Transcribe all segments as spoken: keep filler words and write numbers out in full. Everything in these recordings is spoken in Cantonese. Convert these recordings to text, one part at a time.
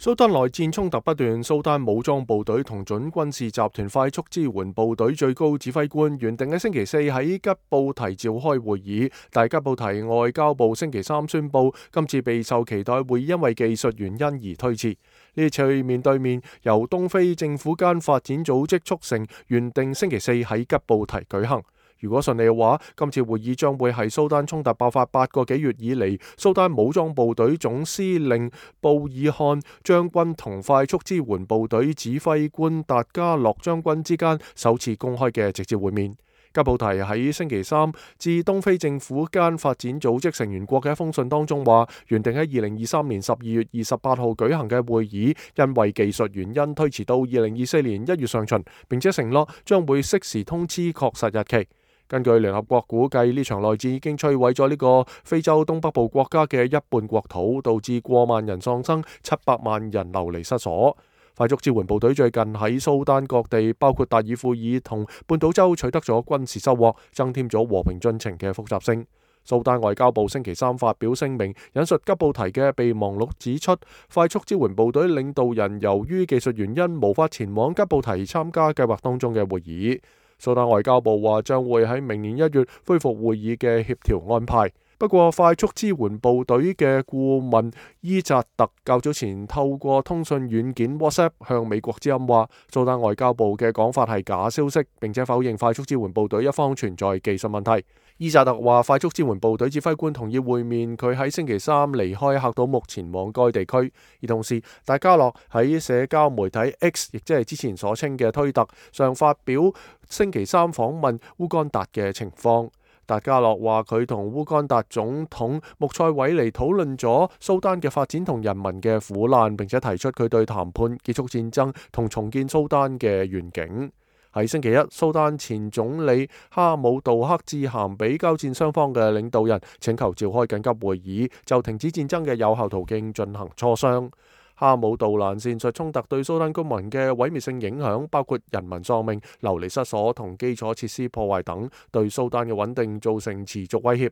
蘇丹內戰衝突不斷，蘇丹武裝部隊同準軍事集團快速支援部隊最高指揮官原定喺星期四喺吉布提召開會議，但吉布提外交部星期三宣布，今次備受期待會議因為技術原因而推遲。呢次面對面由東非政府間發展組織促成，原定星期四喺吉布提舉行。如果順利嘅話，今次會議將會係蘇丹衝突爆發八個幾月以嚟，蘇丹武裝部隊總司令布爾漢將軍同快速支援部隊指揮官達加洛將軍之間首次公開嘅直接會面。吉布提喺星期三致東非政府間發展組織成員國嘅一封信當中話，原定喺二零二三年十二月二十八號舉行嘅會議，因為技術原因推遲到二零二四年一月上旬，並且承諾將會適時通知確實日期。根據聯合國估計，呢場內戰已經摧毀咗呢個非洲東北部國家嘅一半國土，導致過萬人喪生，七百萬人流離失所。快速支援部隊最近喺蘇丹各地，包括達爾富爾同半島州取得咗軍事收穫，增添咗和平進程嘅複雜性。蘇丹外交部星期三發表聲明，引述吉布提嘅備忘錄指出，快速支援部隊領導人由於技術原因無法前往吉布提參加計劃當中嘅會議。蘇丹外交部話將會喺明年一月恢復會議嘅協調安排。不過，快速支援部隊嘅顧問伊扎特較早前透過通訊軟件 WhatsApp 向美國之音話，蘇丹外交部嘅講法係假消息，並且否認快速支援部隊一方存在技術問題。伊扎特話，快速支援部隊指揮官同意會面，佢喺星期三離開喀土穆前往該地區。而同時，達加洛喺社交媒體 X， 亦即係之前所稱嘅推特上發表星期三訪問烏干達嘅情況。達加洛話佢同烏干達總統穆塞韋尼討論咗蘇丹嘅發展同人民嘅苦難，並且提出佢對談判結束戰爭同重建蘇丹嘅願景。喺星期一，蘇丹前總理哈姆杜克致函俾交戰雙方嘅領導人，請求召開緊急會議，就停止戰爭嘅有效途徑進行磋商。哈姆杜蘭闡述衝突對蘇丹公民嘅毀滅性影響，包括人民喪命、流離失所同基礎設施破壞等，對蘇丹嘅穩定造成持續威脅。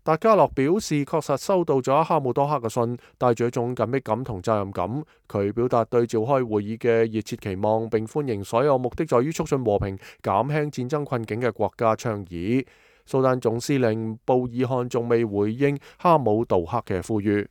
達加洛表示，確實收到咗哈姆多克嘅信，帶住一種緊迫感同責任感。佢表達對召開會議嘅熱切期望，並歡迎所有目的在於促進和平、減輕戰爭困境嘅國家倡議。蘇丹總司令布爾漢仲未回應哈姆杜克嘅呼籲。